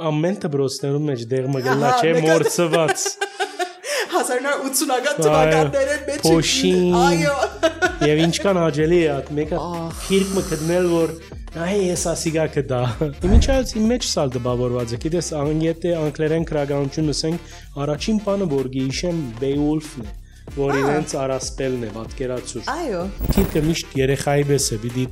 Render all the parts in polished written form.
ամեն դպրոցներում մեջ դեղ մգլա չէ մորցված 1980-ական թվականներին մեջ փոշին այո եւ ինչքան աջելի է այդ մեկը քիրք մը գտնել որ այ ես ասիգա կդա իմիջայց իմ մեջ սալ դպավորված է գիտես անգետե անգլերեն քրագանություն ասենք առաջին բանը որ գիշեմ Beowulf-ն է որ իրենց արասպելն է պատկերացուր այո քիրքը միշտ երեխայի պես է պիտի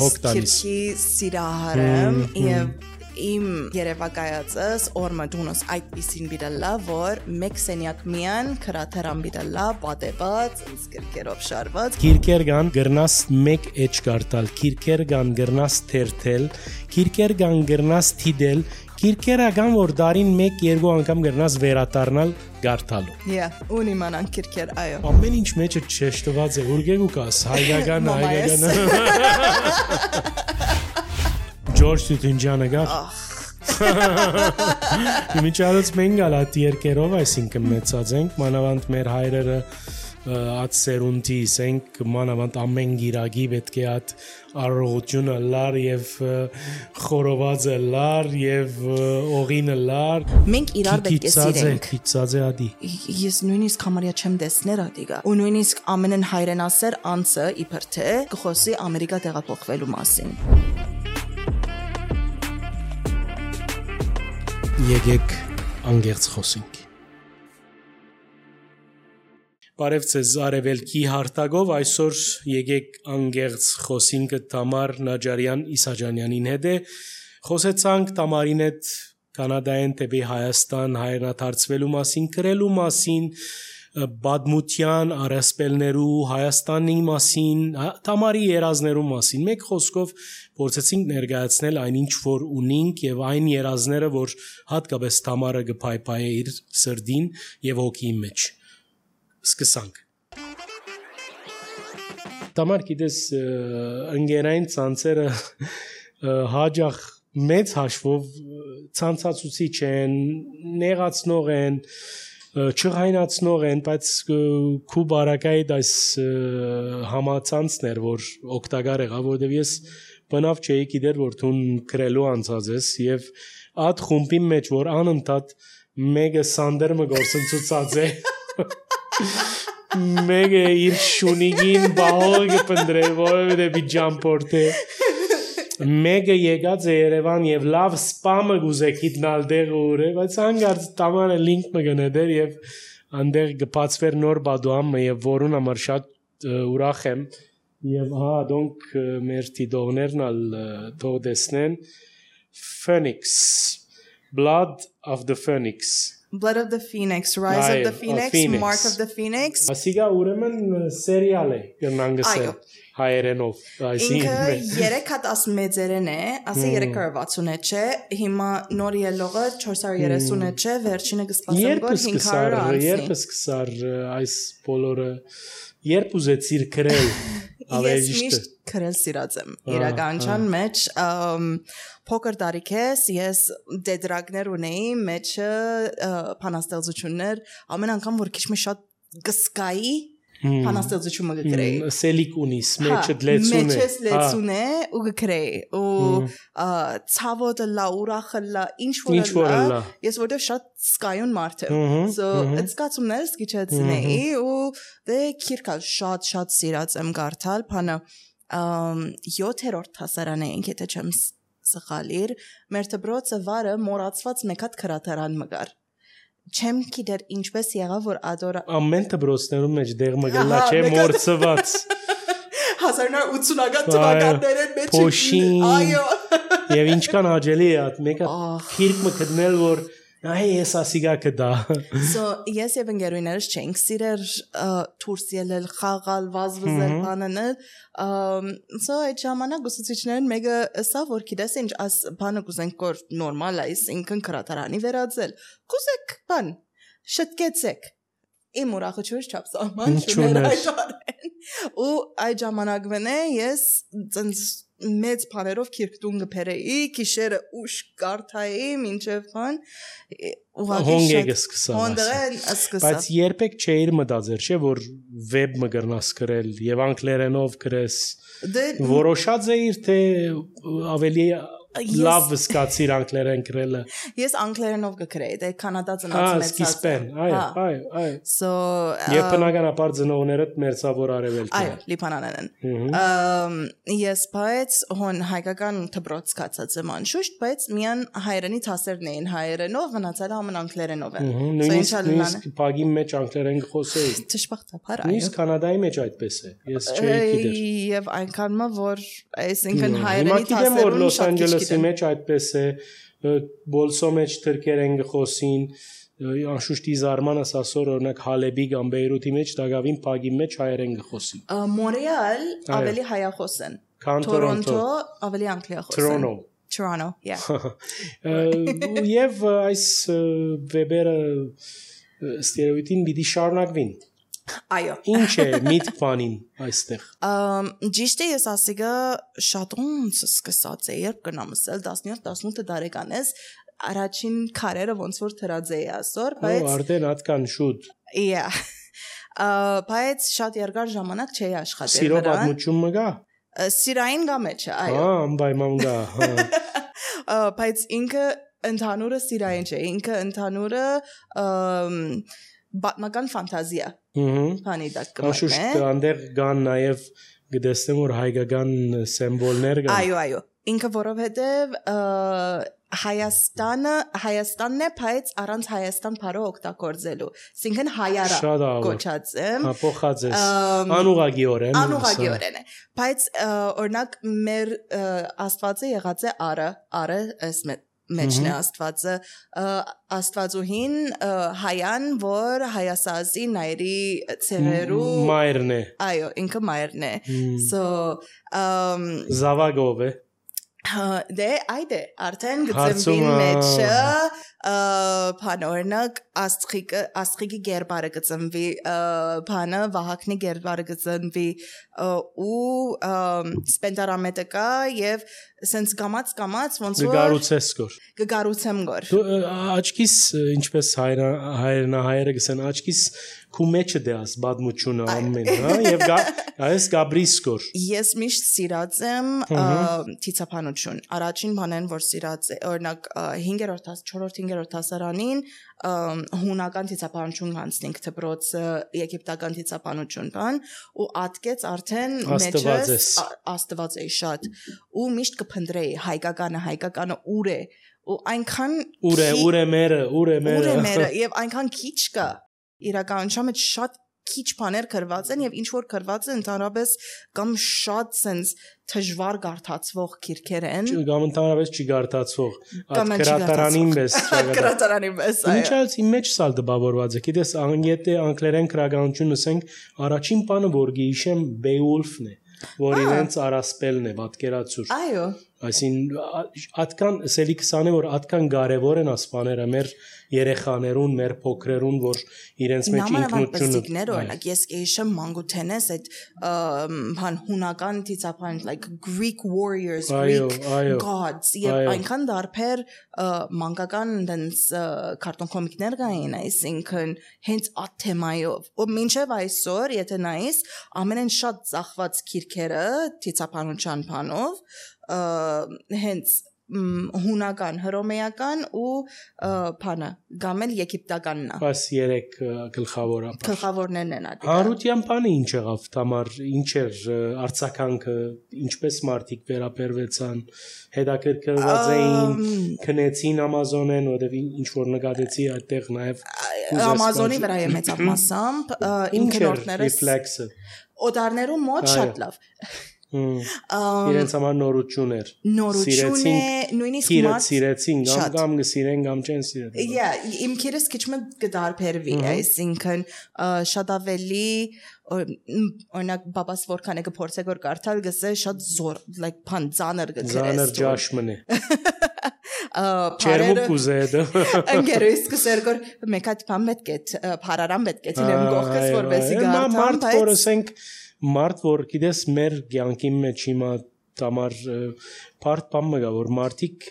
հոգ տալիս ես քիրքի սիրահարեմ եւ իմ երևակայածս օրմը դունս այդպիսին բիդալա որ մեկ սենյակ միան քրաթերան բիդալա պատեված ինսկերկերով շարված քիրքեր կան գրնաս մեկ էջ կարտալ քիրքեր կան գրնաս թերթել քիրքեր կան գրնաս թիդել քիրքերական որ դարին 1-2 անգամ գրնաս վերադառնալ գարտալու ունի մանան քիրքեր այո ամեն ինչ մեջը չշտված է ուրգեգու կաս հայկական George Tutunjana գար Իմիջալից մենք ալատ երկերով այսինքն մեծած ենք մանավանդ մեր հայրերը at սերունդի սենք մանավանդ ամեն գիրագի պետք է at առողջությունը լար եւ խորովածը լար եւ օղինը լար մենք իրար պետք է սիրենք քիծածե ադի ես նույնիսկ համարյա չեմ տեսներ ադիգա ու նույնիսկ ամենն հայրենասեր անձը իբր թե կխոսի ամերիկա տեղափոխվելու մասին Եկեք անգերց խոսենք Բարև ձեզ արևելքի հարթագով այսօր եկեք անգերց խոսինքը Թամար Նաջարյան Իսաջանյանին հետ է խոսեցանք Թամարին հետ Կանադայեն դեպի Հայաստան հայրենադարձվելու մասին գրելու մասին բադմության արասպելներու Հայաստանի մասին Թամարի երազներու մասին մեկ խոսքով փորձեցինք ներկայացնել այնինչ որ ունենք եւ այն երազները որ հատկապես Թամարը գփայփայ իր սրդին եւ հոգի մեջ Սկսանք Թամար գիտես ընկերային ցանցերը հաջող մեծ հաշվով ցանցացուցիչ են նեղացնող են չղայնացնող են բայց քու բարակայի դայս համացանցներ որ օգտակար եղա որովհետև ես բնավ չէի գիտեր որ դու գրելու անցած ես եւ այդ խումբի մեջ որ անընդհատ մեկը սանդերը գործընծուցած է Mega իր շունիգին բահող կպնդրե որովհետև ջամպորտե Mega եկած է Երևան եւ լավ սպամը գուզեք իտնալ դեղ ուր է բայց հանգարց Թամարը լինք մը գնեդեր եւ անդեղ գբացվեր նոր բադուամը եւ որուն համար շատ ուրախ եմ եւ դոնք մեր տիդողներն ալ թող տեսնեն Phoenix Blood of the Phoenix Blood of the Phoenix, Rise of the Phoenix, Mark of the Phoenix. Ասիգա ուրեմն սերիալ է կնանգսել հայերենով Ինքը 3 հատ ասմեծերեն է, ասի 360 չէ, հիմա նոր ելողը 430 չէ, վերջինը կսպասեմ գոր 500 անցի։ Երբ սկսար այս բոլորը, երբ ուզեցիր գրել Ես միշտ գրել սիրած եմ իրականության մեջ փոքր տարիքես ես դեդրակներ ունեի մեջը փանաստեղծություններ ամեն անգամ որ քիչ մի շատ գսկայի փանաստեղծությունը գրեի սելիկ ունիս մեջը լեցուն է մեջս լեցուն է ու գրեի ու ցավոդը լա ուրախը լա ինչ որ լա ես որտեղ շատ սկայուն մարդ եմ so it's got some nice գիչացնեի ու դե քիրքալ շատ սիրած եմ գարթալ փանը 7-րդ հասարան էինք եթե չեմ սխալիր մեր դպրոցը վարը մոռացված մեկ հատ քրաթարան մգար չեմ գիտեր ինչպես եղավ որ ադորա ամեն դպրոցներում մեջ դեղ մգլա չէ մորցված 1980-ական թվականներին մեջ փոշին այո եւ ինչքան աջելի է այդ մեկը քիրք մը գտնել որ այ ես ասիգա կդա So ես եւ ընկերուներս չենք սիրեր դուրս ելել խաղալ վազվզել բանել so այդ ժամանակ ուսուցիչներն մեկը ասա որ գիտես ինչ աս բանը կուզենք կոր նորմալ է ինքն քրատարանի վերածել կուզեք բան շտկեցեք իմ ուրախությունը չափսահման չուներ ու այդ ժամանակվեն է ես մեծ բաներով քիրքտուն գբերեի քիշերը ուշ կարթայի մինչև բան հոնգեգը սկսա բայց երբեք չէիր մտածել չէ որ վեբ մը գրնաս գրել եւ անգլերենով գրես որոշած էիր թե ավելի լավ սկացիր անգլերեն գրելը։ Ես անգլերենով կգրեի, դե կանադա ծնած մեծած։ Սկիզբեն, այո։ So Եվ բնականաբար ծնողներդ մերձավոր արևելք այո, Լիբանանն են։ Ես բայց հոն հայկական դպրոց կացած եմ անշուշտ, բայց միան հայերենի դասերն էին հայերենով, մնացածը ամեն անգլերենով են։ Նույնիսկ բագի մեջ անգլերեն խոսեի։ Ճշմարտաբար այո։ Նույնիսկ Կանադայի մեջ այդպես է։ Ես չէի գիտեր։ Եվ այնքան որ այսինքն հայերենի Հիմա գիտեմ որ դասերում Լոս շատ քիչ Անջելեսի գիտեմ։ մեջ այդպես է, Բոլսո մեջ թրքերեն գխոսին, անշուշտ իզարմանս ասոր օրինակ Հալեբի կամ Բեյրութի մեջ դակավին բագի մեջ հայերեն գխոսին։ Մոնրեալ ավելի հայախոս են։ Քան Toronto ավելի անգլիախոս են։ Toronto, yeah։ Եվ այս վեբերը ստերեոտիպին պիտի շարունակվին։ Այո։ Ինչ է միտք բանին այստեղ։ Ճիշտ է ես ասիգա շատ ոնց սկսած է երբ կնամսել 17-18 տարեկան ես առաջին քարերը ոնց որ թրած էի ասոր, բայց արդեն հատկան շուտ։ Yeah։ Բայց շատ երկար ժամանակ չէի աշխատել Սիրո պատմություն մը գա։ Սիրային գա մեջ, այո։ Անպայման գա, Բայց ինքը ընդհանուրը սիրային չէ, ինքը ընդհանուրը բատմական ֆանտազիա։ Բանի դակ կմատնե։ Անշուշտ այնտեղ կան նաև գտեսեմ որ հայկական սիմվոլներ կան։ Այո։ Ինքը որովհետև Հայաստանն է, բայց առանց Հայաստան բառը օգտագործելու։ Այսինքն հայարա կոչած եմ։ Փոխած ես անուղագիորեն։ Անուղագիորեն է։ Բայց օրինակ մեր Աստվածը եղած է արը այս մեջն է Աստվածը Աստվածուհին հայան որ հայասազի նայրի ցեղերու մայրն է։ Այո, ինքը մայրն է։ So Զավագով է։ Դե այդե արդեն գծմվին մեջը բանորնակ աստղիկի գերբարը գծմվի բանը վահակնի գերբարը գծմվի ու սպենտարամետը կա եւ սենց կամած ոնց որ գգարուցեմ գոր աչքիս ինչպես հայրենահայերը գսեն աչքիս քու մեջը դեաս բադմությունը ամեն հա եւ այս գաբրիսկոր ես միշտ սիրած եմ թիցապանություն առաջին բանն որ սիրած է օրինակ 5-րդ 4-5-րդ դասարանին հունական թիցապանություն հանցնենք դպրոցը եգիպտական թիցապանություն բան ու ատկեց արդեն մեջս աստված է շատ ու միշտ կփնդրեի հայկականը ուր է ու այնքան ուր է մերը եւ այնքան քիչ կա իրականության մեջ շատ քիչ բաներ գրված են եւ ինչ որ գրված է ընդհանրապես կամ շատ sense դժվար գարտացվող քիրքեր են կամ ընդհանրապես չի գարտացվող գրատարանին պես այո ինչալ իմ մեջ սալ դպավորված է գիտես եթե անգլերեն գրականություն ասենք առաջին բանը որ գիշեմ Beowulf-ն է որ իրենց արասպելն է պատկերացուր այո այսին ատկան սելի 20-ը որ ատկան կարևոր են ասպաները մեր երեխաներուն մեր փոքրերուն որ իրենց մեջ ինքնությունը օրինակ ես կհիշեմ մանգութենես այդ բան հունական դիցապան like Greek warriors Greek gods եւ այնքան դարբեր մանկական դենց քարտոն կոմիկներ կային այսինքն հենց այդ թեմայով ու մինչեւ այսօր եթե նայես ամենեն շատ ծախված քիրքերը դիցապանության բանով հենց հունական, հռոմեական ու բանը, գամել եգիպտականն է։ Բայց երեք գլխավորներն են ադիգա։ Հարության բանը ինչ եղավ, Տամար, ինչ էր արձագանքը, ինչպես մարդիկ վերաբերվեցան, հետաքրքրված էին, քնեցին Ամազոնեն, որտեղ ինչ որ նկատեցի այդտեղ նաև Ամազոնի վրա է մեծավ մասամբ, իմ քնորդներս օտարներու մոտ շատ լավ իրենց համար նորություն էր նույնիսկ մարդ սիրեցին կամ գսիրեն կամ չեն սիրել իմ քիրս քիչ մը գդարբերվի այսինքն շատ ավելի օրինակ բաբաս որքան է կփորձե գոր կարդալ գսե շատ զոր like բան ծանր գծերես ծանր ջաշմն է Չերմու կուզեդը ընկերուս կսեր գոր մեկ հատ բան պետք է փարարան պետք է դեմ գողքս որպեսի գարտան բայց մարդ որ գիտես մեր կյանքի մեջ հիմա Տամար բարդ բան մը գա որ մարդիկ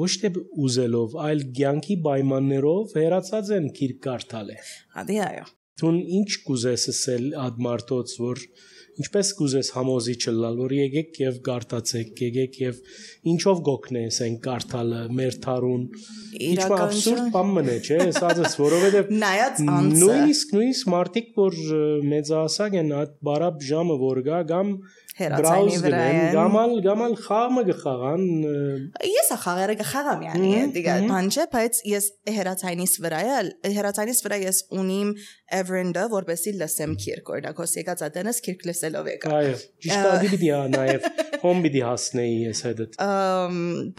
ոչ թե ուզելով այլ կյանքի պայմաններով հերացած են քիրք կարդալ է հադի այո Դուն ինչ կուզես ասել այդ մարդոց որ ինչպես կուզես համոզիչ լալ, որ եկեք եւ գարտացեք, եկեք եւ ինչով գոքնես այն կարդալը, մեր թարուն։ Ինչ абսուրդ բան մնա, չէ՞, ասած, որովհետեւ նայած անձը նույնիսկ մարդիկ, որ մեծահասակ են, այդ բարապ ժամը որ գա, կամ հերացանի վրա են, գամալ խաղը գխաղան։ Ես խաղերը գխաղամ, yani, դիգա բանջը, բայց ես հերացանից վրա ես ունիմ Everend-ը, որպեսի լսեմ քիրք, օրինակ, հոս եկած ատենս քիրք լսելով եկա։ Այո, ճիշտ է, դիպի նաև հոմ պիտի հասնեի ես հետդ։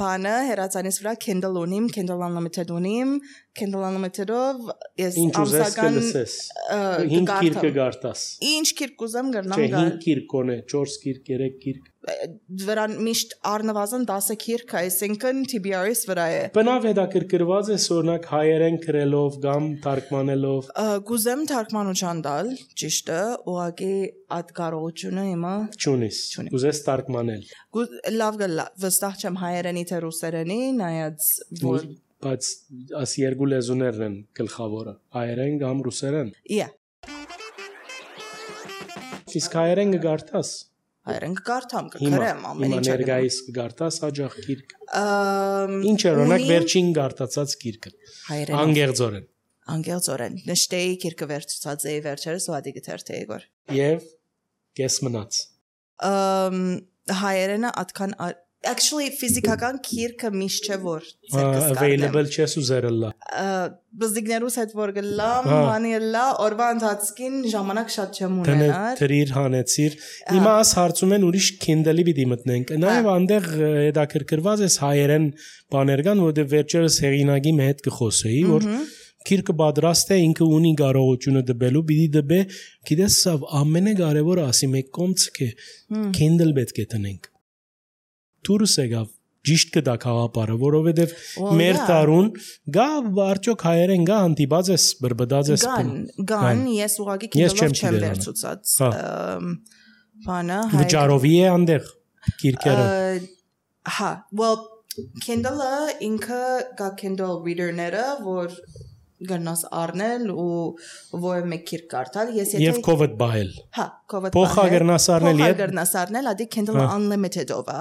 Բանը հերացանից վրա Kindle ունիմ, Kindle Unlimited ունիմ, Kindle Unlimited-ով ես ամսական 5 քիրք կգարտաս։ Ինչ քիրք կուզեմ գրնամ գալ։ Չէ, 5 քիրք կոնե, 4 քիրք, 3 քիրք։ Վրան միշտ առնվազն 10 քիրք, այսինքն TBR-ից վրա է։ Բնավ հետաքրքրված է օրինակ հայերեն գրելով կամ թարգմանելով։ Գուզեմ թարգմանության տալ, ճիշտ է, ուղղակի այդ կարողությունը հիմա չունիս։ Ուզես թարգմանել։ Լավ գլա, վստահ չեմ հայերենի թե ռուսերենի, նայած որ բայց աս երկու լեզուներն են գլխավորը, հայերեն կամ ռուսերեն։ Yeah. Իսկ հայերեն կգարտաս։ Հայերեն կգարտամ, կգրեմ ամեն ինչ։ Հիմա ներկայիս կգարտաս հաջող գիրք։ Ինչ է օրինակ վերջին գարտացած գիրքը։ Հայերեն։ Անգերձորեն։ Նշտեի գիրքը վերջացած էի վերջերս ու ադի գթերթեի գոր։ Եվ կես մնաց։ Հայերենը atkan actually ֆիզիկական գիրքը միշտ չէ որ ցերկս available չես ուզերլա։ Բզդիկներուս հետ որ գլամ, հանելա, օրվա ընթացքին ժամանակ շատ չեմ ունենալ։ Դրիր հանեցիր։ Հիմա աս հարցում են ուրիշ Kindle-ի պիտի մտնենք։ Նաև այնտեղ հետաքրքրված էս հայերեն բաներ կան, որտեղ վերջերս հեղինակի հետ կխոսեի, որ գիրքը պատրաստ է, ինքը ունի կարողությունը դբելու, պիտի դբե, գիտես, ամենակարևորը ասի մեկ կոմցք է, Kindle պետք է տնենք։ Դուրս եկավ ճիշտ կդա խաղապարը, որովհետև մեր տարուն գա արդյոք հայերեն գա հանդիպած ես բրբդած ես գան ես ուղղակի Kindle-ով չեմ վերցուցած բանը վճարովի է այնտեղ գիրքերը հա well Kindle-ը ինքը գա Kindle reader-ները որ գնաս առնել ու որ մեկ քիրք կարդալ ես եթե եւ COVID բայել հա COVID փոխա գրնաս առնել եւ գրնաս առնել ադի Kindle Unlimited-ով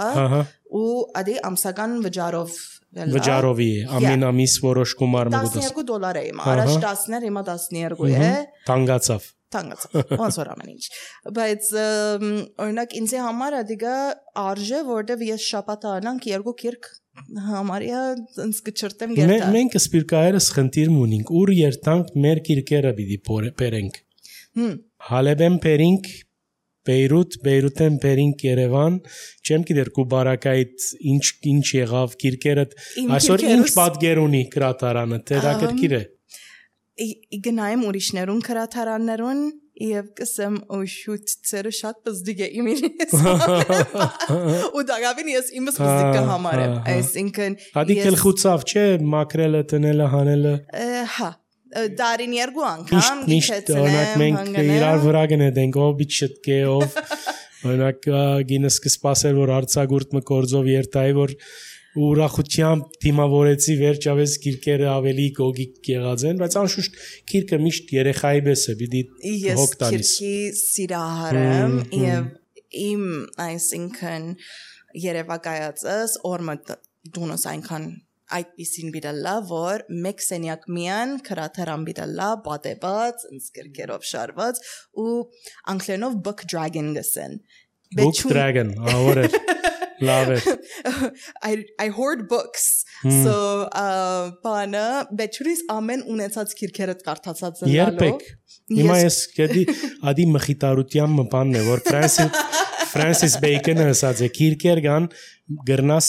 ու ադի ամսական վճարովի է ամեն ամիս որոշ գումար մգուտես $12 է հիմա առաջ 10-ներ հիմա 12 է տանգացավ ոնց որ ամեն ինչ բայց օրինակ ինձ համար ադիգա արժե որտեվ ես շաբաթ անանք երկու քիրք համարյա ինձ կչրտեմ գերտա մենք սպիրկայերս խնդիր ունենք ուր երթանք մեր քիրքերը պիտի բերենք Հալեբեն բերենք Բեյրութեն բերենք Երևան չեմ գիտեր Կուբարակայից ինչ եղավ քիրքերը այսօր ինչ պատկեր ունի գրադարանը հետաքրքիր է գնայեմ ուրիշներուն գրադարաններուն Եվ կսեմ շուտ ծերը շատ բզդիկ է իմինես ու դագավին ես իմս բզդիկ կհամարեմ այսինքն Հադի կելխուցավ չէ մակրելը տնելը հանելը հա դարին երկու անգամ միշտ օրինակ մենք իրար վրա գնենք ով բիչտկե ով օրինակ գինս կսպասել որ արցագուրտ մկորձով երթայի որ ուրախությամբ դիմավորեցի վերջապես քիրքերը ավելի գոգիկ եղած են բայց անշուշտ քիրքը միշտ երեխայի պես է պիտի հոգ տալիս ես քիրքի սիրահարեմ եւ իմ այսինքն երևակայածս օրմը դունոս այնքան այդպիսին բիդալա որ մեկ սենյակ միան քրաթերան բիդալա պատեված ինսկերկերով շարված ու անգլերենով book dragon գսեն book dragon ավոր Love it. I hoard books. So, բանը բեչուրիս ամեն ունեցած քիրքերը կարդացած են Երբեք։ Հիմա ես գետի ադի մխիտարության բանն է, որ Francis Bacon-ը ասած է քիրքեր կան գրնաս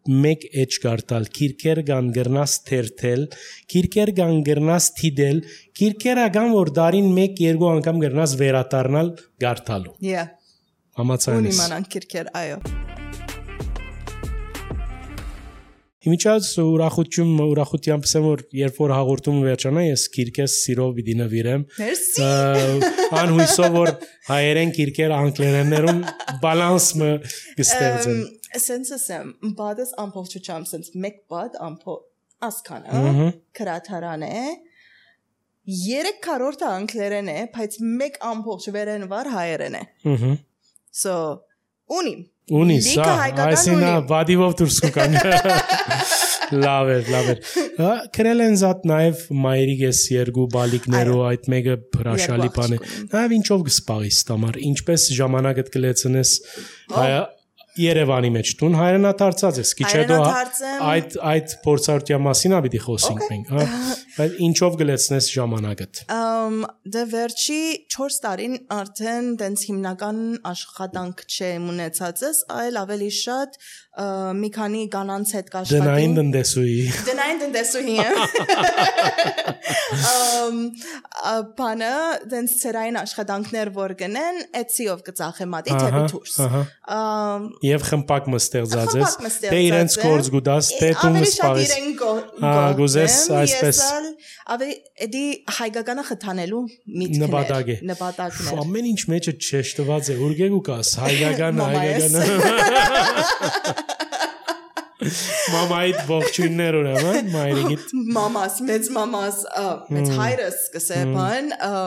մեկ էջ կարդալ, քիրքեր կան գրնաս թերթել, քիրքեր կան գրնաս թիդել, քիրքերը կան որ դարին 1-2 անգամ գրնաս վերադառնալ կարդալու։ Yeah. Համացանես։ Ունի մանան քիրքեր, այո։ Իմիջած ուրախությամբ ասեմ որ երբ որ հաղորդումը վերջանա ես քիրքես սիրով պիտի նվիրեմ Մերսի անհույսով որ հայերեն քիրքերը անգլերեններում բալանսը կստեղծեն Sense ասեմ բադս ամփոփչությամբ sense մեկ բադ ամփոփ ասքանը քրաթարան է 3/4 անգլերեն է, բայց 1/4 վերենվար հայերեն է։ So ունի սա այսինքն վադիվով դուրս կան լավ է քրել են զատ նաև մայրիկես երկու բալիկներով այդ մեկը հրաշալի բան է նաև ինչով կսպաղես տամար ինչպես ժամանակդ կլեցնես Երևանի մեջ տուն հայրենադարձած ես քիչ հետո այդ փորձառության մասին ա պիտի խոսենք մենք հա բայց ինչով գլեցնես ժամանակդ դե վերջի 4 տարին արդեն տենց հիմնական աշխատանք չեմ ունեցածս այլ ավելի շատ մի քանի կանանց հետ կաշխատեմ դնային տնտեսուհի բանը տենց ծերային աշխատանքներ որ գնեն էցիով կծախեմ ադի թեպի դուրս Եվ խմպակ մստեղծած ես դե իրենց կորձ գուտաս դե դու մսպարես գուզես այսպես ավելի էդի հայկականը խթանելու միտքներ նպատակներ ամեն ինչ մեջը չեշտված է ուրգեգ ու կաս հայկականը Մամայիդ ողջույններ ուրեմն մայրիկիդ մամաս մեծ հայրս կսե բան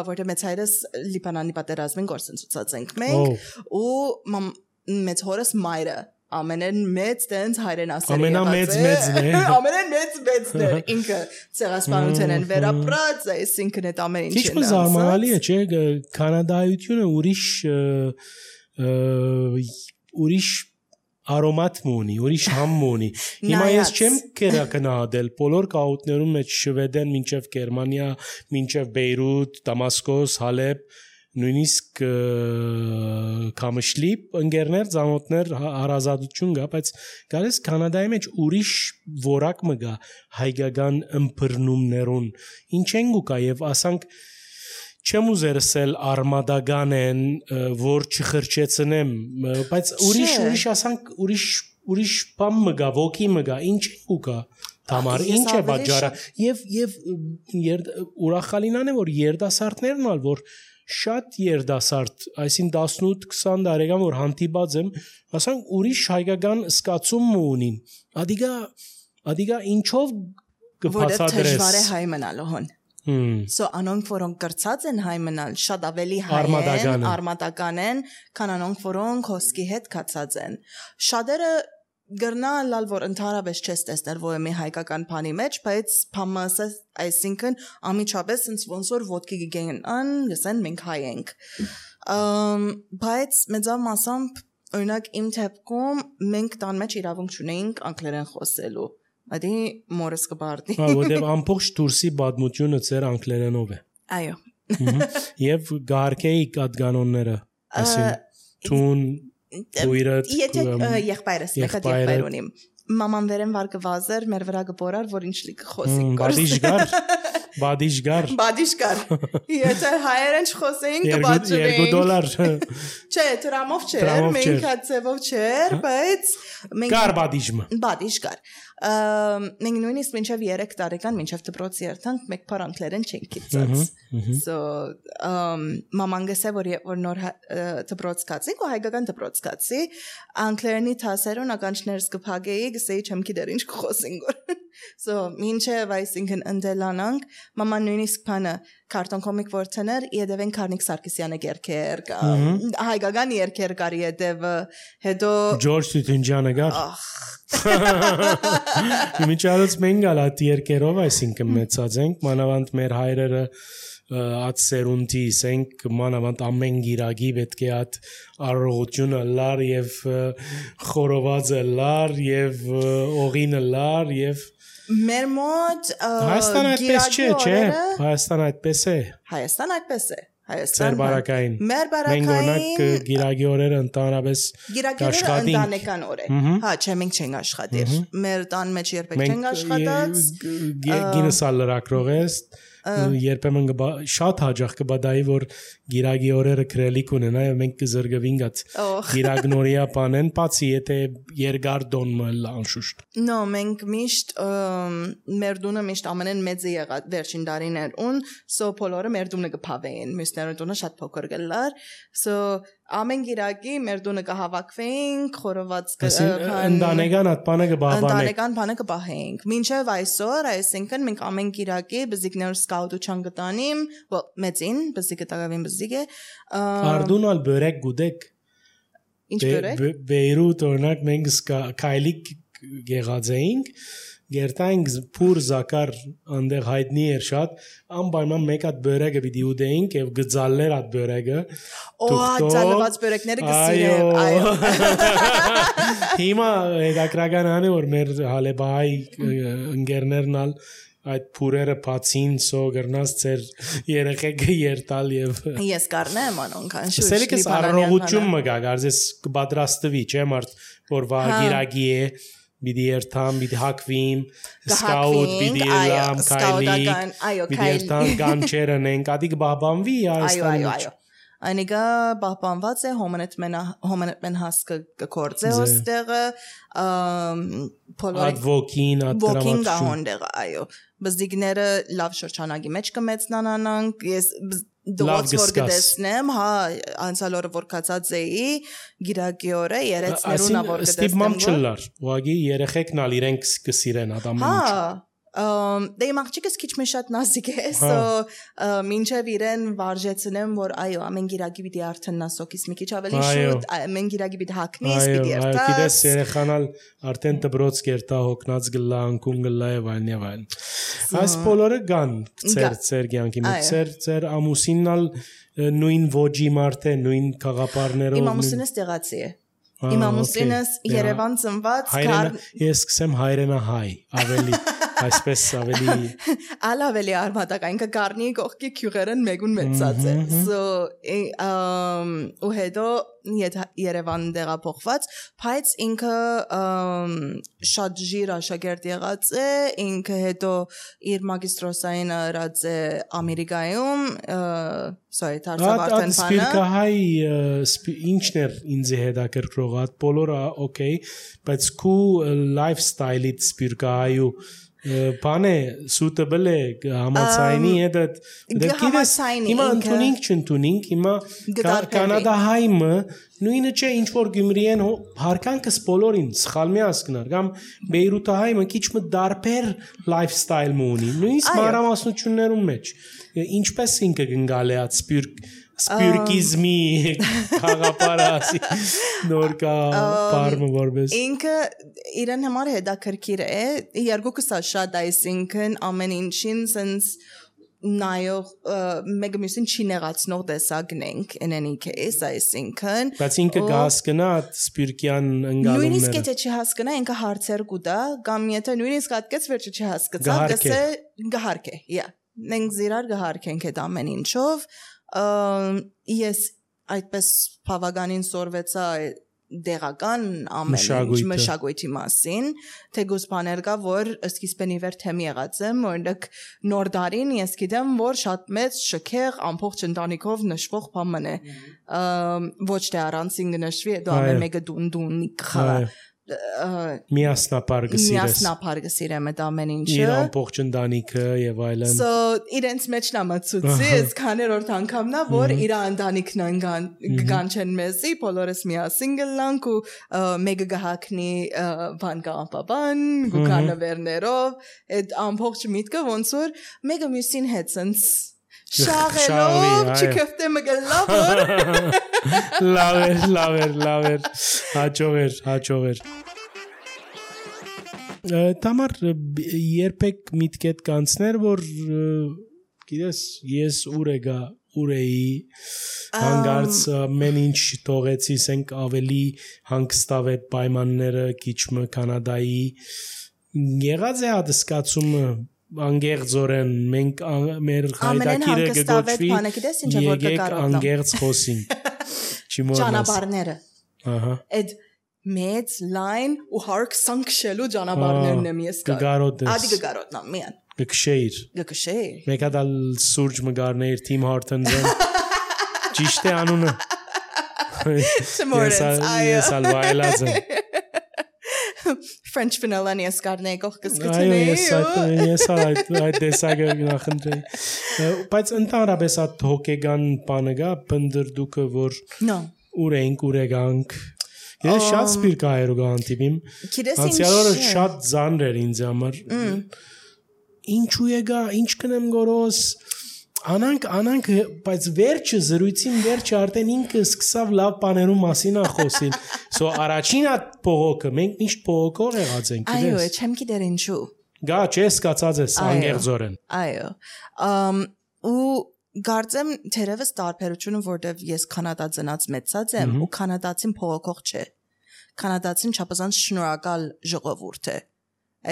որտեղ մեծ հայրս Լիբանանի պատերազմին գործընծած ենք մենք ու մեծ հորս մայրը ամենեն մեծ տենց հայրենասեր ամենամեծն է ինքը ցեղասպանության են վերապրած այսինքն այդ ամեն ինչը Ինչ զարմանալի է չէ կանադայությունը ուրիշ արոմատ մունի, ուրիշ համ մունի Հիմա ես չեմ կերակնահատել բոլոր կաուտներում մեջ Շվեդեն մինչև Գերմանիա, մինչև Բեյրութ, Դամասկոս, Հալեբ նույնիսկ Կամշլիպ ընկերներ, ծանոթներ հարազատություն կա, բայց գալիս Կանադայի մեջ ուրիշ որակ մը գա հայկական ըմբռնումներուն ինչ են գուկա եւ ասանք չեմ ուզերսել արմադական են որ չխրճեցնեմ բայց ուրիշ ասանք ուրիշ բան մը գա ոգի մը գա ինչ ու կա Тамար ինչ է բաժարը եւ ուրախալինան է որ երդասարտներն ալ որ շատ երդասարտ այսին 18-20 տարեկան որ հանդիպած եմ ասանք ուրիշ հայկական սկացում ունին ադիգա ինչով կբացատրես որ դժվար է հայ մնալոհն So անոնք որոնք կրծած են հայ մնալ շատ ավելի հայ են արմատական են քան անոնք որոնք հոսքի հետ կացած են շատերը գրնալ լալ որ ընդհանրապես չես տեսնել որ մի հայկական բանի մեջ բայց փամասը այսինքն ամիջապես ինձ ոնց որ ոդկի գեն ան լսեն մենք հայ ենք բայց մեծավ մասամբ օրինակ իմ թեփքում մենք տան մեջ իրավունք չունեինք անգլերեն խոսելու Ադի մորս կբարդի որտեղ ամբողջ դուրսի բադմությունը ծեր անգլերենով է Այո Եվ գարկեի կատկանոնները ասին տուն Ուիրդ եղբայրս մեկ եղբայր ունիմ Մաման վերեն վար կվազեր մեր վրա կբորար որ ինչ լի կխոսենք Բադիշգար Եթե հայերեն չխոսեին կբաճվեին $2 Չէ, տրամով չէր, մենք հացևով չէր, բայց Կար Բադիշգար Մենք նույնիսկ մինչև 3 տարեկան մինչև դպրոցի երթանք մեկ փար անգլերեն չենք գիտած So մաման գսե որ նոր դպրոց կացինք ու հայկական դպրոց կացի անգլերենի թասերուն ականջներս կփագեի գսեի չեմ գիտեր ինչ կխոսենք So մինչև այսինքն ընդելանանք մաման նույնիսկ բանը քարտոն կոմիկ որցներ իդևեն Կարնիկ Սարգսյանը երկեր հայկական երկեր կարի իդև հետո Ջորջ Տուտունջանը գար Իմիջալոց մենք ալատ երկերով այսինքն մեծած ենք մանավանդ մեր հայրերը at սերունդի սենք մանավանդ ամեն գիրագի պետք է at առողջությունը լար եւ խորովածը լար եւ օղինը լար եւ Մեր մոտ Հայաստանը այդպես չէ Հայաստանը այդպես է Հայաստանը այդպես է Մեր բարակային Մենք օրինակ գիրագի օրերը ընդհանրապես կաշխատինք Ընտանեկան օր է Հա չէ մենք չենք աշխատիր Մեր տան մեջ երբեք չենք աշխատած Գինսալ լրակրող ես երբեմն շատ հաջող կբադայի որ գիրագի օրերը քրելիք ունենա եւ մենք կզրգվինք at գիրագնորիա բանեն բացի եթե երկար դոնը լանշուշտ No մենք միշտ մեր դունը միշտ ամենեն մեծը եղած վերջին տարիներուն so բոլորը մեր դունը կփավեին մյուսները դունը շատ փոքր գլար so ամեն գիրակի մեր դունը կհավաքվեինք, խորոված ընտանեկան այդ բանը կբահանենք։ Ընտանեկան բանը կբահենք։ Մինչև այսօր, այսինքն մենք ամեն գիրակի բզիկներ սկաուտության գտանիմ, մեծին, բզիկը տակավին բզիկ է։ Արդունալ բերեք գուդեք։ Ինչ բերեք։ Բեյրութ օրինակ մենք քայլիկ եղած էինք Գերտայինք փուր զակար այնտեղ հայտնի էր շատ անպայման մեկ հատ բերեգը պիտի ուտեինք եւ գծալներ այդ բերեգը ծալված բերեկները կսիրեմ այո Հիմա հետաքրական անի որ մեր հալեբահայ ընկերներն ալ այդ փուրերը բացին սո գրնաս ծեր երեխեքը երտալ եւ ես կառնեմ անոնք անշուշտ Սելիկս առողջություն մգա գարզես կպատրաստվի չէ մարդ որ վագիրագի է Բիդի երթամ, բիդի հակվիմ, սկաուտ, բիդի լամ, կայլի, բիդի երթամ, գանչերն ենք, ադիք բահբանվի այո, այնիկա բահբանված է, հոմենետ մեն հասկը կորձ է ոստեղը, ատ ոգին, ատ ոգին գահոնդեղը, այո, բզդիգները լավ շրջանագի մեջ կմեցնան անանք, ես դոց որ գտեսնեմ, հա, անցյալ օրը որ կացած էի, գիրակի օրը երեցներունա որ գտեսնեմ Ստիպմամ չլար, ուղագի երեխեքն ալ իրենք կսիրեն ադամենիչ Դե իմ աղջիկս քիչ մի շատ նազիկ է, so մինչև իրեն վարժեցնեմ, որ այո, ամեն գիրակի պիտի արդեն սոքիս մի քիչ ավելի շուտ, ամեն գիրակի պիտի հագնես, պիտի երթաս։ Այո, գիտես երեխանալ արդեն դբրոց կերտա հոգնած գլա, անկուն գլա եւ այլն։ Այս բոլորը կան ծեր կյանքի մեջ, ծեր ամուսիննալ նույն ոճի մարդ է, նույն խաղապարներով։ Իմ ամուսինս տեղացի է։ Իմ ամուսինս Երևան ծնված Ես սկսեմ հայրենահայ, ավելի այսպես ավելի ավելի արմատական կգարնի կողքի քյուղերն մեկուն մեծած է so ու հետո Երևան դեղափոխված բայց ինքը շատ ջիր աշակերտ եղած է ինքը հետո իր մագիստրոսային արած է Ամերիկայում sorry դարձավարտեն բանը սպիրկահայ ինչն էր ինձ հետաքրքրող այդ բոլորը օքեյ բայց քու լայֆստայլից սպիրկահայու Բանը suitable է համացայինի հետ գիտես հիմա ընդունինք չընդունինք հիմա կանադա հայմը նույնը չէ ինչ որ գյումրիեն հարկանքս բոլորին սխալ մի ասկնար կամ բեյրութը հայմը քիչ մը դարբեր լայֆստայլ ունի նույնիսկ մանրամասնություններում մեջ ինչպես ինքը գնալ է այդ սպիրկիզմի խաղապարասի նորկա բարմը որպես ինքը իրեն համար հետաքրքիր է երկուքս շատ այսինքն ամեն ինչին sense նայող մեկ մյուսին չի նեղացնող տեսակն ենք in any case այսինքն բայց ինքը կհասկնա սպիրկյան ընկալումները նույնիսկ եթե չհասկնա ինքը հարցեր կուտա կամ եթե նույնիսկ հատկեց վերջը չհասկացա գսե գահարք է yeah մենք զիրար գահարքենք այդ ամեն ինչով ես այդպես բավականին սորվեցա դեղական ամեն ինչ մշակույթի մասին թեգուս բաներ կա որ սկիզբեն իվեր թեմի եղած եմ օրինակ նոր դարին ես գիտեմ որ շատ մեծ շքեղ ամբողջ ընտանիքով նշվող բան է ոչ թե առանցին նշվի դա ամեն մեկը դուն խաղա միասնապար գսիրեմ այդ ամեն ինչը իր ամբողջ ընտանիքը եւ այլն so իրենց մեջ նամացուցի ես քաներորդ անգամնա որ իր ընտանիքն գանչեն մեզի բոլորս միասին գլանք ու մեկը գահակնի բան կամպաբան գուկանավերներով այդ ամբողջ միտքը ոնց որ մեկը մյուսին հետ sense շաղելով չկፍտե մգլավոր լավեր հաջողեր Тамар երբեք միտքեդ կանցներ որ գիտես ես ուր էի հանգարց մեն ինչ թողեցի ասենք ավելի հանգստավետ պայմանները քիչ մը կանադայի եղած է հատկացումը անգերձորեն մենք մեր հայրակիրը գոչվի եկեք անգերձ խոսին ճանապարհները ահա այդ մեծ լայն ու հարկ սանքշելու ճանապարհներն եմ ես ադի գարոտնա միան գքշեիր մեկ հատ սուրճ մգարներ Թիմ Հորթոնզեն ճիշտ է անունը ես ալվայլած եմ French vanilla nies կարնեի կողքս գտնեի ես այդ դեսագը նախընտրեի բայց ընդհանրապես այդ հոգեգան բանը գա բնդրդուկը որ ուր ենք ուրեգանք ես շատ սպիրկայերու գանտիպիմ անցյալ օրը շատ ծանր էր ինձ համար ինչու եկա ինչ կնեմ գորոս անանք բայց վերջը զրույցին վերջը արդեն ինքը սկսավ լավ բաներու մասին խոսել so առաջին հատ փողոքը մենք միշտ փողոքով եղած ենք այո չեմ գիտեր ինչու գա չես կացած ես անգերձորեն այո ու Գարձեմ թերևս տարբերությունը որտեվ ես կանադա ծնած մեծած եմ ու կանադացին փողոքող չէ կանադացին չափազանց շնորհակալ ժողովուրդ է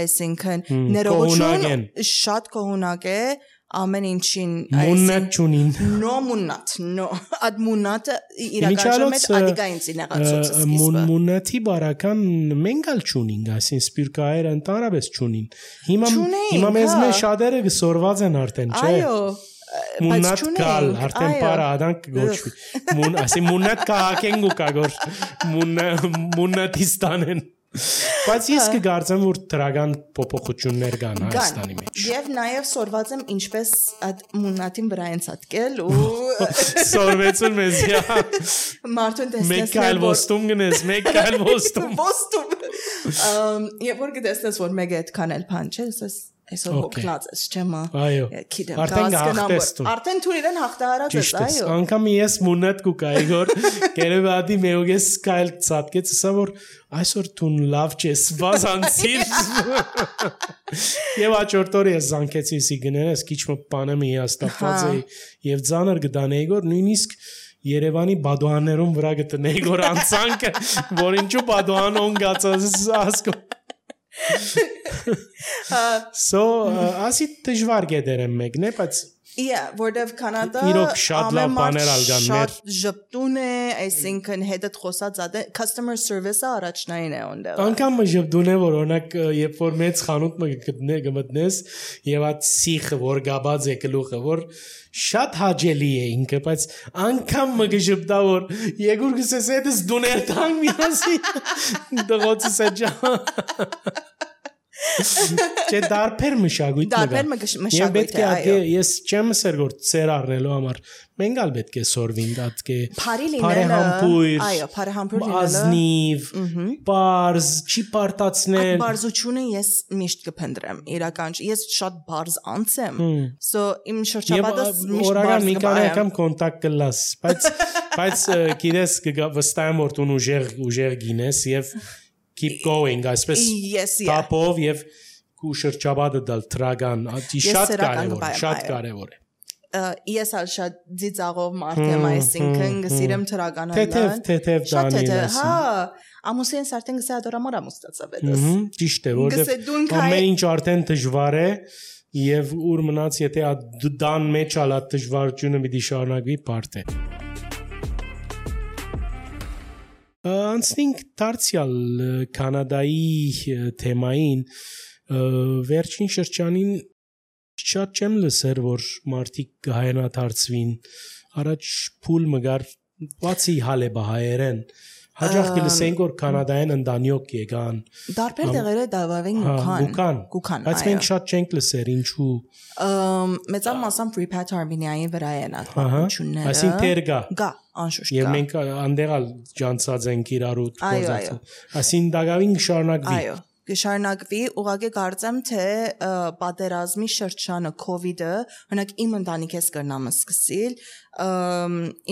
այսինքն ներողություն շատ կողունակ է ամեն ինչին մուննատ չունին no ad մուննատը իրականում է ադիգային ցինեղացուցը սկիզբը մուննատի բարական մենգալ չունին այսին սպիրկայերը ընդհանրապես չունին հիմա մեզ շատերը գսորված են արդեն չէ այո Մուննատ կալ, արդեն պարա աданք գոչվի ասի մուննատ կահակեն գու կագոր մուննատիստանեն բայց ես կգարձեմ որ դրական փոփոխություններ կան Հայաստանի մեջ եւ նաեւ սորված եմ ինչպես այդ մուննատին վրա են ցածկել ու սորվեցուն մեզ Մարտուն տեսնես մեկ այլ ոստում գնես մեկ այլ ոստում եւ որ գտեսնես որ մեկ այդքան էլ բան չէ այսօր հոգնած ես չեմ այո արդեն հաղթեստուն արդեն թույլ իրեն հաղթահարած ես այո անգամ ես մուննատ կուկա Իգոր գերեվադի մեուգես սկայլ ցածկեց սա որ այսօր տուն լավ չես բազանցիր եւ աճորտորի ես զանգեցի սի գներես քիչ մը բանը մի հաստատված է եւ ծանր գտան Իգոր նույնիսկ Երևանի բադուաններում վրա գտնեի գոր անցանքը որ ինչու բադուանոն գացած ասկո So ասի դժվար գեդերեմ մեկն է բայց որտեվ կանադա իրոք շատ լավ բաներ ալգան մեր շատ ժպտուն է այսինքն հետդ խոսած customer service-ը առաջնային է ոնդեղ անգամ ժպտուն է որ օրինակ երբ որ մեծ խանութ գմտնես եւ այդ սիխը որ գաբած է գլուխը որ շատ հաճելի է ինքը բայց անգամ մգժպտա որ եգուր գսես հետս դուներ տան միասի դղոցը սեջա Չէ դարբեր մշակույթ մշակույթ պետք է այո ես չեմ ասեր որ ծեր առնելու համար մենք ալ պետք է սորվին դատ կե բարեհամբույր այո բարեհամբույր ազնիվ բարձ չի պարտացնել բարձությունը ես միշտ կփնտրեմ իրական ես շատ բարձ անց եմ so իմ շրջապատս միշտ օրական մի քանի անգամ կոնտակտ կլաս բայց գիտես վստահ եմ որ դու ուժեղ գինես եւ keep going այսպես տապով եւ քու շրջապատը դալ տրագան շատ կարեւոր է ես ալ շատ ծիծաղով մարդ եմ այսինքն գսիրեմ տրագանալ թեթև դանիելս հա ամուսինս արդեն գսա դորամոր ամուսնացավ էդս ճիշտ է որովհետեւ ամեն ինչ արդեն դժվար է եւ ուր մնաց եթե դան մեջ ալա դժվարությունը մի շարունակվի բարդ է Անցնենք դարձյալ Կանադայի թեմային վերջին շրջանին շատ չեմ լսեր որ մարդիկ հայրենադարձվին առաջ փուլ մգար բացի հալեբա հայերեն հաջող կլսենք որ Կանադայեն ընդանյոք եկան դարբեր տեղերը դավավեն գուքան բայց մենք շատ չենք լսեր ինչու մեծան մասամբ Repat Armenia-ի վրա են ատմությունները այսինքն թեր գա անշուշտ եւ մենք անդերալ ջանցած ենք իրարու գործածը այսինքն դակավին շարունակվի այո կշարունակվի ուղղակի կարծեմ թե պատերազմի շրջանը COVID-ը օրինակ իմ ընտանիքս կրնամ սկսել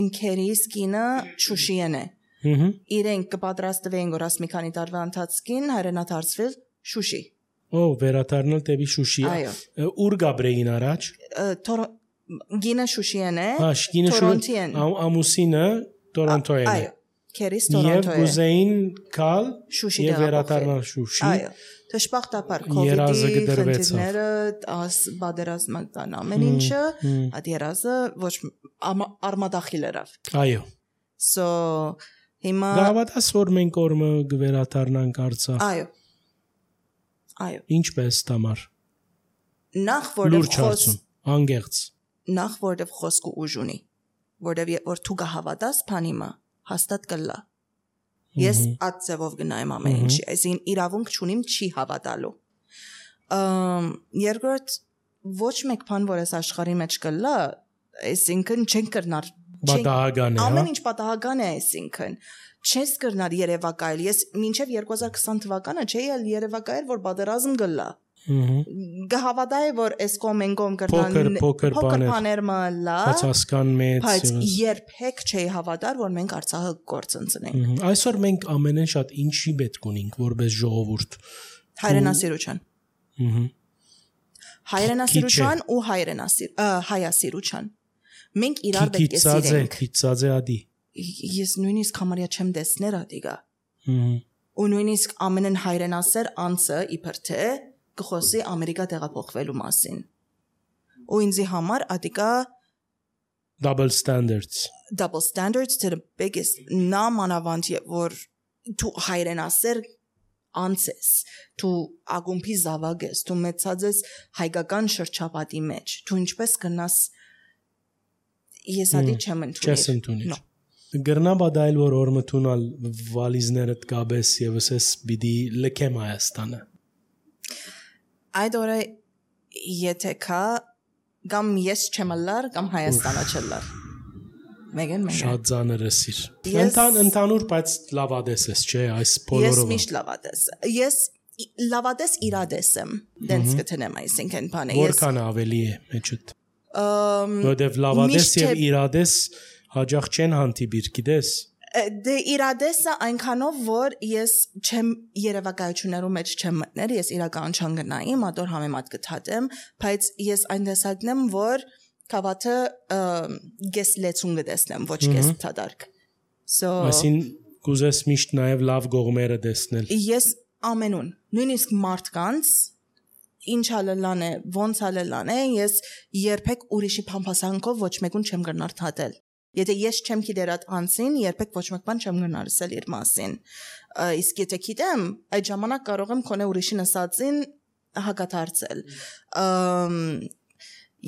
իմ քերիս կինը Շուշիեն է իրենք կպատրաստվեն որ ասմի քանի տարվա ընթացքին հայրենադարձվել Շուշի վերադառնալ դեպի Շուշի ուր գաբրեին առաջ գինը Շուշիեն է Տորոնտոյեն ամուսինը Տորոնտոյեն այո քերիս Տորոնտոյեն եւ գուզեին կալ եւ վերադառնալ Շուշի այո դժբախտաբար COVID-ի խնդիրները պատերազմական ամեն ինչը այդ երազը ոչ արմադախիլ երավ այո so հիմա գավաթաս որ մենք օրը գվերադառնանք Արցախ այո ինչպես տամար նախ որտեղ անգերց նախ որտեղ խոսքը ուժ ունի որտեղ որ դու գահավատաս բանիմա հաստատ կլա ես այդ ձևով գնայեմ ամեն ինչի այսին իրավունք չունիմ չի հավատալու երկրորդ ոչ մեկ բան որ այս աշխարհի մեջ կլա այսինքն չեն կրնար Պատահական է, հա։ Ամեն ինչ պատահական է, այսինքն չես կրնար երևակայել։ Ես մինչև 2020 թվականը չէի ել երևակայել, որ պատերազմ գլա։ Գահավատայի որ այս կոմենգոմ կրնան փոքր բաներ մալա, բացասական մեծ, բայց երբեք չէի հավատար, որ մենք Արցախը կորցնցնենք։ Այսօր մենք ամենեն շատ ինչի պետք ունենք որպես ժողովուրդ։ Հայրենասիրության։ Հայրենասիրության ու հայասիրության։ Մենք իրար պետք է սիրենք։ Քիծածե ադի։ Ես նույնիսկ համարյա չեմ տեսներ ադիգա։ Ու նույնիսկ ամենն հայրենասեր անձը իբր թե կխոսի Ամերիկա տեղափոխվելու մասին։ Ու ինձի համար ադիգա double standards to the biggest նամանավանդ որ դու հայրենասեր անցես, դու ագումբի զավակ ես, դու մեծած ես հայկական շրջապատի մեջ, դու ինչպես կնաս ես ադի չեմ ընդունել։ Գրնա բադայել որ օրմտունալ վալիզներդ գաբես եւս էս բիդի լքեմ Հայաստանը։ Այդ օրը եթե կա կամ ես չեմ լար կամ Հայաստանը չլար։ Մեգեն շատ ծանր է սիր։ Ընդհանուր բայց լավադես ես, չէ, այս բոլորով։ Ես միշտ լավադես։ Ես լավադես իրադես եմ։ Դենց կթնեմ այսինքն բանը։ Որքան ավելի է մեջդ։ Որտեվ լավադես եւ իրադես հաջող չեն հանդիպիր, գիտես։ Դե իրադեսը այնքանով որ ես չեմ երևակայություններու մեջ չեմ մտներ, ես իրական չանգնայի, մատոր համեմատ կթատեմ, բայց ես այն տեսակն եմ, որ Կավաթը գես լեցուն գտեսնեմ, ոչ գես թադարկ։ Այսին կուզես միշտ նաև լավ գողմերը տեսնել։ Ես ամենուն, նույնիսկ մարդկանց, ինչ ալելան է, ոնց ալելան է, ես երբեք ուրիշի փամփասանքով ոչ մեկուն չեմ գնար թատել։ Եթե ես չեմ գիտեր այդ անձին, երբեք ոչ մեկ բան չեմ գնար ասել իր մասին։ Իսկ եթե գիտեմ, այդ ժամանակ կարող եմ քոնե ուրիշին ասածին հակադարձել։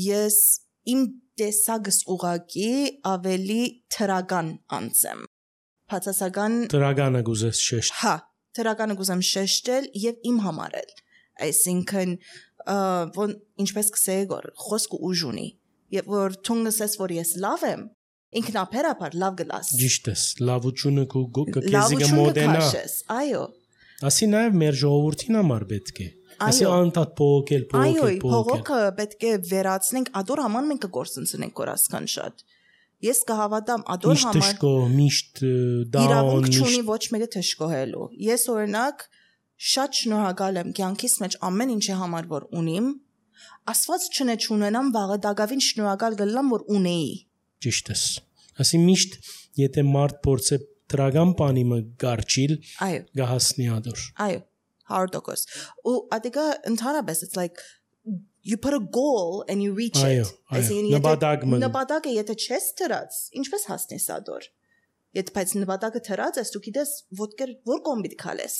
Ես իմ տեսակս ուղակի ավելի թրական անձեմ։ Բացասական թրականը գուզես շեշտ։ Հա, թրականը գուզեմ շեշտել եւ իմ համար էլ։ Այսինքն ոնց ինչպես կսեի որ խոսքը ուժ ունի։ Եվ որ թունգսես որ ես լավ եմ, ինքնաբերաբար լավ գլաս։ Ճիշտ ես, լավությունը քեզի կմոդենա։ Այո։ Ասի նաև մեր ժողովրդին համար պետք է։ Ասի անտատ փողոքել։ Այո, փողոքը պետք է վերացնենք, ադոր համար մենք կգործընծնենք կորասքան շատ։ Ես կհավատամ ադոր համար։ Միշտ թշկո, միշտ դաուն։ Իրավունք չունի ոչ մեկը թշկոհելու։ Ես օրինակ շատ շնորհակալ եմ կյանքիս մեջ ամեն ինչի համար որ ունիմ, Աստված չունենամ վաղը դակավին շնորհակալ գլամ որ ունեի։ Ճիշտ ես։ Ասի միշտ եթե մարդ փորձե դրական բանի մը գարչիլ, գահասնի ադոր։ Այո, 100%։ Ու ադիգա ընդհանրապես it's like you put a goal and you reach it. Նպատակը եթե չես դրած, ինչպես հասնես ադոր։ Եթե բայց նպատակը դրած ես, դու գիտես որ կողմ պիտի քալես։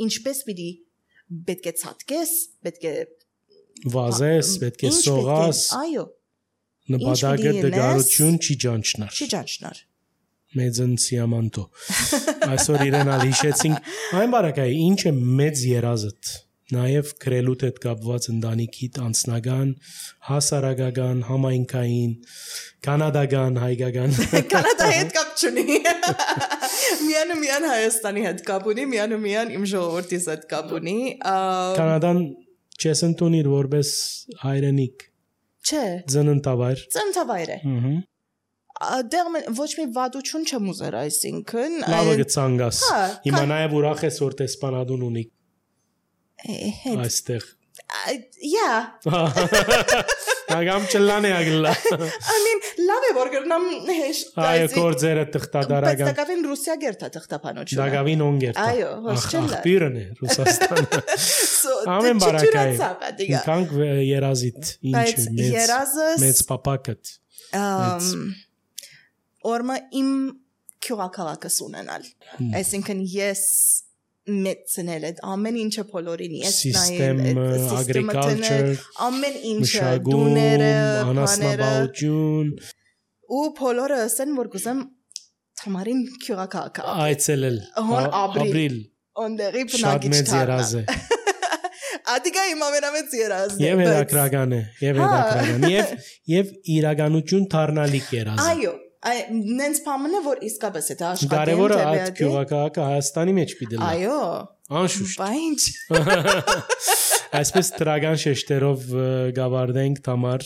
Ինչպես պիտի պետք է ցածկես, պետք է վազես, պետք է սողաս։ Այո։ Նպատակը դգարություն չի ճանչնար։ Չի ճանչնար։ Մեծն սիամանտո։ Այսօր իրենալ հիշեցինք, այն բարակայի, ինչ է մեծ երազդ, նաև գրելուտ հետ կապված ընտանիքիդ անձնական, հասարակական, համայնքային, կանադական, հայկական։ Կանադայի հետ կապ չունի։ Միան Հայաստանի հետ կապ ունի, միան իմ ժողովրդիս հետ կապ ունի։ Կանադան չես ընդունիր որպես հայրենիք։ Չէ։ Ծննդավայր։ Ծննդավայր է։ Դեռ ոչ մի վատություն չեմ ուզեր այսինքն լավը գցանգաս հիմա նաև ուրախ ես որ տեսփանադուն ունի այստեղ Ագամ չլանը ագլա I լավ է որ գրնամ հեշտ այո կորձերը թղթադարական բայց դակավին Ռուսիա գերտա թղթապանոջը դակավին օնգերտա այո հոսչելա ախպիրն է Ռուսաստանը ամեն բարակայ ինքանք երազիտ ինչ մեծ պապակդ Օրմա իմ քյուղակալակս ունենալ այսինքն ես մեծնել այդ ամեն ինչը բոլորին ես նայել agriculture ամեն ինչը դուները անասնաբուծություն ու բոլորը ասեն որ գուզեմ Թամարին քյուղակալակա այցելել ապրիլ ոնդերի բնագիչ երազ է Ադիգա իմ ամենամեծ երազն է եւ երակրական է եւ իրականություն դառնալիք երազ այո նենց փամնը որ իսկապես է դա աշխատեն Կարևորը այդ գյուղակահակը Հայաստանի մեջ պիտի լա։ Այո։ Անշուշտ։ Բայց Այսպես տրագան շեշտերով գավարդենք Թամար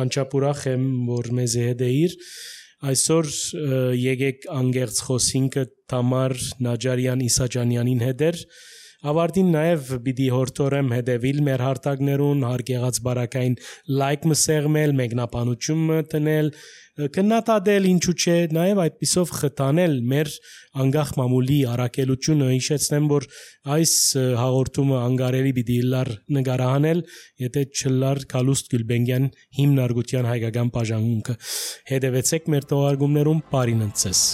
անչափուրախ եմ որ մեզ հետ էիր այսօր եկեք անգերց խոսինքը Թամար Նաջարյան Իսաջանյանին հետ ավարտին նաև պիտի հորդորեմ հետևիլ մեր հարտակներուն հարգեղած բարակային լայք մսեղմել մեկնաբանություն տնել քննադատել ինչու՞ չէ նաև այդպիսով խթանել մեր անգախ մամուլի առաքելությունը հիշեցնեմ որ այս հաղորդումը անգարելի պիտի լար նկարահանել եթե չլար Կալուստ Գյուլբենգյան հիմնարկության հայկական բաժանմունքը հետևեցեք մեր թողարկումներում բարին ընծես